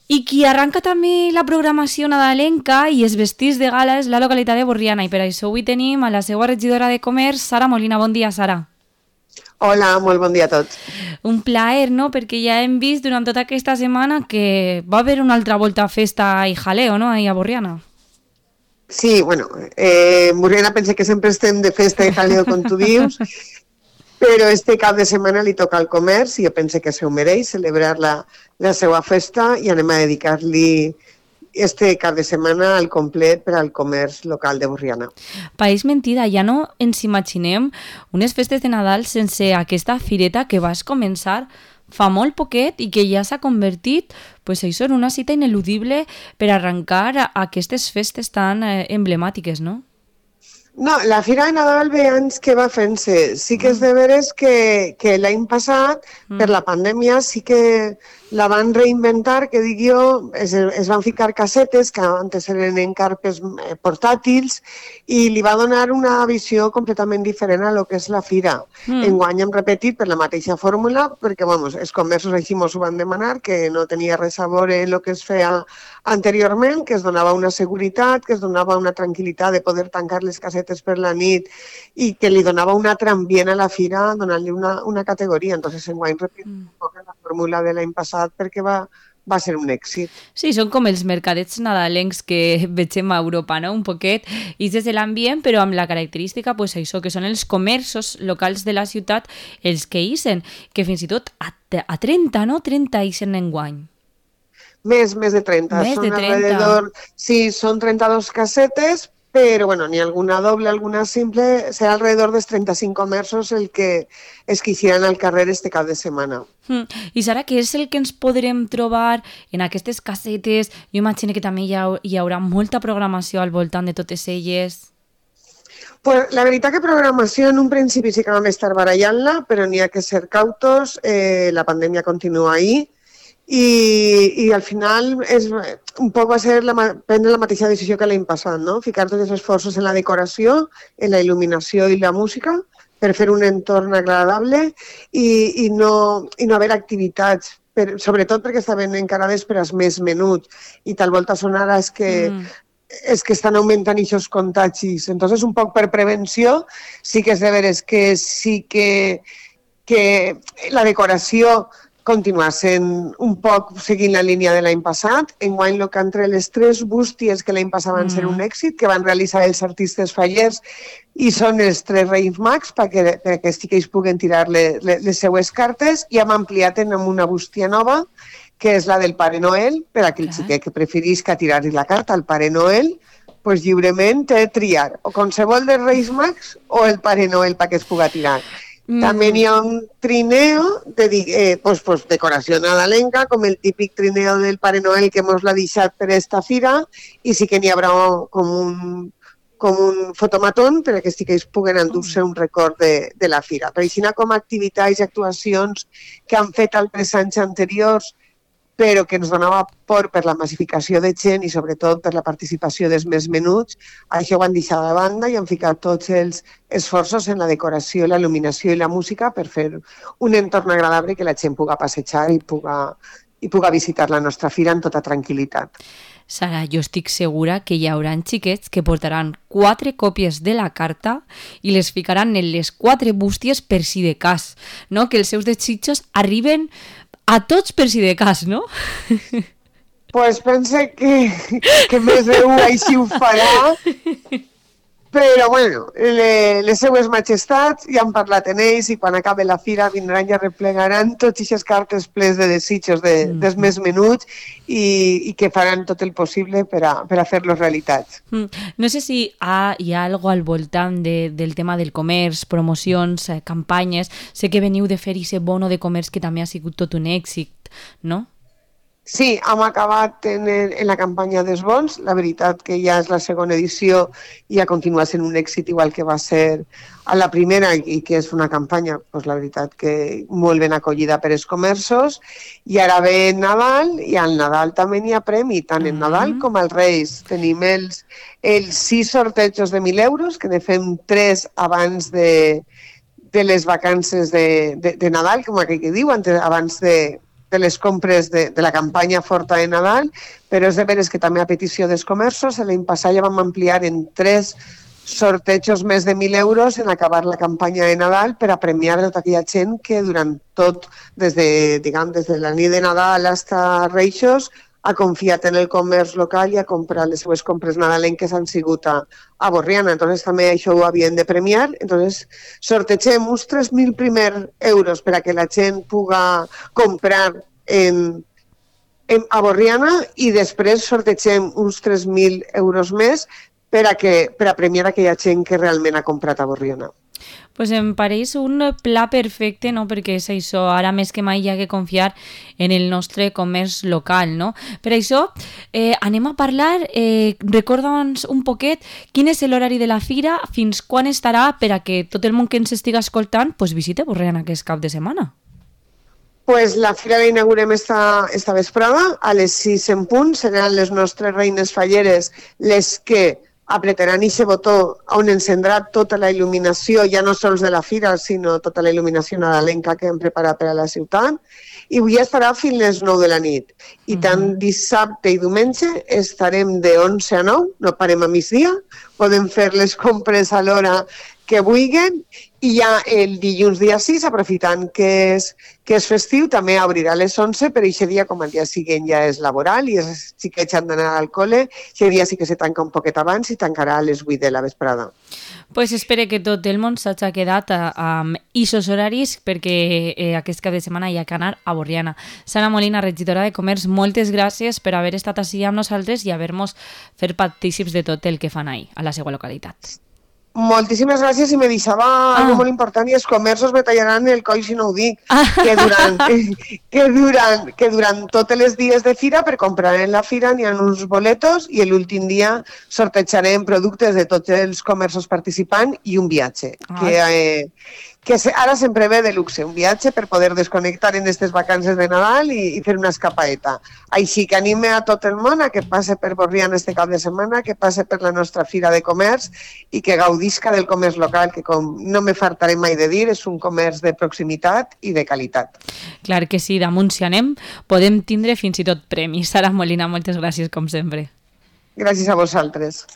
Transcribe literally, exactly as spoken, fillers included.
I qui arranca també la programació nadalenca i els vestits de gala és la localitat de Borriana, i per això avui tenim a la seva regidora de Comerç, Sara Molina. Bon dia, Sara. Hola, molt bon dia a tots. Un plaer, no?, perquè ja hem vist durant tota aquesta setmana que va haver una altra volta a festa i jaleo, no?, ahí a Borriana. Sí, bueno, eh, en Borriana pense que sempre estem de festa i jaleo, com tu dius, però este cap de setmana li toca al comerç i jo pense que se ho mereix celebrar la, la seva festa i anem a dedicar-li este cap de setmana al complet per al comerç local de Borriana. País mentida, ja no ens imaginem unes festes de Nadal sense aquesta fireta que vas començar fa molt poquet i que ja s'ha convertit pues, això, en una cita ineludible per arrencar a aquestes festes tan eh, emblemàtiques, no? No, la Fira de Nadal ve anys que va fent-se. Sí que és de veres que, que l'any passat, mm. per la pandèmia, sí que la van reinventar, que dic jo, es, es van ficar casetes, que antes eren en carpes portàtils, i li va donar una visió completament diferent a lo que és la Fira. Mm. Enguany hem repetit per la mateixa fórmula, perquè, vamos, els comerços així mos ho van demanar, que no tenia res a veure el que es feia anteriorment, que es donava una seguretat, que es donava una tranquil·litat de poder tancar les casetes per la nit i que li donava un altre ambient a la fira, donant-li una, una categoria. Entonces, enguany repetim un poc la fórmula de l'any passat perquè va, va ser un èxit. Sí, són com els mercadets nadalencs que vegem a Europa, no?, un poquet, i des de l'ambient, però amb la característica, pues, això, que són els comerços locals de la ciutat els que ixen, que fins i tot a, a trenta, no?, trenta ixen enguany. Més, més de trenta. Més són de trenta. Alrededor, sí, són trenta-dos casetes, però bueno, ni alguna doble, alguna simple, serà alrededor dels trenta-cinc comerços el que es quixiran al carrer este cap de setmana. Mm. I Sara, què és el que ens podrem trobar en aquestes casetes? Jo imagino que també hi, ha, hi haurà molta programació al voltant de totes elles. Pues la veritat que programació en un principi sí que vam estar barallant-la, però n'hi ha que ser cautos, eh, la pandèmia continua ahí, I, i al final és, un poc va ser la, prendre la mateixa decisió que l'any passat, no? Ficar tots els esforços en la decoració, en la il·luminació i la música per fer un entorn agradable i, i, no, i no haver activitats, per, sobretot perquè estaven encarades per als més menuts i tal volta són ara és que, mm. és que estan augmentant aquests contagis. Entonces, un poc per prevenció, sí que és de veres que sí que, que la decoració continuar sent un poc seguint la línia de l'any passat. Enguany, el que entre les tres bústies que l'any passat van mm. ser un èxit, que van realitzar els artistes fallers, i són els tres Reis Mags, perquè, perquè sí que ells puguen tirar les, les seues cartes, i hem ampliat en una bústia nova, que és la del Pare Noel, per a aquell xiquet que preferís que tirar-li la carta al Pare Noel, pues lliurement té de triar o qualsevol dels Reis Mags o el Pare Noel perquè es puga tirar. Mm. També hi ha un trineo de eh, pues, pues, decoració nadalenca, com el típic trineo del Pare Noel que mos l'ha deixat per esta fira, i sí que n'hi haurà com un, com un fotomatón perquè sí que ells puguen endur-se un record de, de la fira. Però així com activitats i actuacions que han fet altres anys anteriors, però que ens donava por per la massificació de gent i sobretot per la participació dels més menuts, això ho han deixat de banda i han ficat tots els esforços en la decoració, la il·luminació i la música per fer un entorn agradable que la gent puga passejar i puga, i puga visitar la nostra fira amb tota tranquil·litat. Sara, jo estic segura que hi haurà xiquets que portaran quatre còpies de la carta i les ficaran en les quatre bústies per si de cas, no? Que els seus desitjos arriben a tots per si de cas, no? Pues pense que, que més d'un així ho farà, però bueno, le, les seues majestats ja han parlat en ells i quan acabe la fira vindran i arreplegaran tots aquestes cartes plens de desitjos de, mm. dels més menuts i, i que faran tot el possible per a, per a fer-los realitats. Mm. No sé si ha, hi ha alguna al voltant de, del tema del comerç, promocions, eh, campanyes. Sé que veniu de fer aquest bono de comerç que també ha sigut tot un èxit, no? Sí, hem acabat en, en la campanya dels bons. La veritat que ja és la segona edició i ha continuat sent un èxit igual que va ser a la primera i que és una campanya, doncs la veritat que molt ben acollida per els comerços. I ara ve Nadal i al Nadal també n'hi ha premi, tant en Nadal com als Reis. Tenim els, els sis sortejos de mil euros, que ne fem tres abans de, de les vacances de, de, de Nadal, com aquell que diu, abans de de les compres de, de la campanya forta de Nadal, però és de veres que també a petició dels comerços l'any passat ja vam ampliar en tres sortejos més de mil euros en acabar la campanya de Nadal per a premiar tota aquella gent que durant tot, des de, diguem, des de la nit de Nadal fins a Reixos, ha confiat en el comerç local i ha comprat les seues compres nadalenques han sigut a, a Borriana. Entonces també això ho havien de premiar. Entonces sortegem uns tres mil primer euros per a que la gent puga comprar en, en, a Borriana i després sortegem uns tres mil euros més per a, que, per a premiar aquella gent que realment ha comprat a Borriana. Pues em pareix un pla perfecte, no? Perquè és això, ara més que mai hi ha que confiar en el nostre comerç local, no? Per això eh, anem a parlar, eh, recorda'ns un poquet quin és l'horari de la fira, fins quan estarà per a que tot el món que ens estiga escoltant pues, visite Borriana aquest cap de setmana. Pues la fira la inaugurem esta, esta vesprada, a les sis en punt, seran les nostres reines falleres les que apretaran aquest botó on encendrà tota la il·luminació, ja no sols de la fira, sinó tota la il·luminació nadalenca que hem preparat per a la ciutat. I avui estarà fins les nou de la nit. I tant dissabte i diumenge estarem de onze a nou, no parem a migdia, podem fer les compres a l'hora que vulguin i ja el dilluns dia sis, aprofitant que és, que és festiu, també obrirà a les onze, però aquest dia, com el dia següent ja és laboral i els xiquets han d'anar al col·le, aquest dia sí que se tanca un poquet abans i tancarà a les vuit de la vesprada. Pues espero que tot el món s'hagi quedat amb aquests horaris perquè eh, aquest cap de setmana hi ha que anar a Borriana. Sara Molina, regidora de Comerç, moltes gràcies per haver estat així amb nosaltres i haver-nos fet partícips de tot el que fan ahí, a la seva localitat. Moltíssimes gràcies i me deixava ah. algo molt important i els comerços me tallaran el coll si no ho dic, ah. que, durant, que, durant, que durant tots els dies de fira per comprar en la fira n'hi ha uns boletos i l'últim dia sortejarem productes de tots els comerços participants i un viatge, ah. que, eh, que ara sempre ve de luxe, un viatge per poder desconnectar en aquestes vacances de Nadal i, i fer una escapaeta. Així que anime a tot el món a que passe per Borriana este cap de setmana, que passe per la nostra fira de comerç i que gaudisca del comerç local, que com no me fartaré mai de dir, és un comerç de proximitat i de qualitat. Clar que sí, damunt si anem podem tindre fins i tot premis. Sara Molina, moltes gràcies com sempre. Gràcies a vosaltres.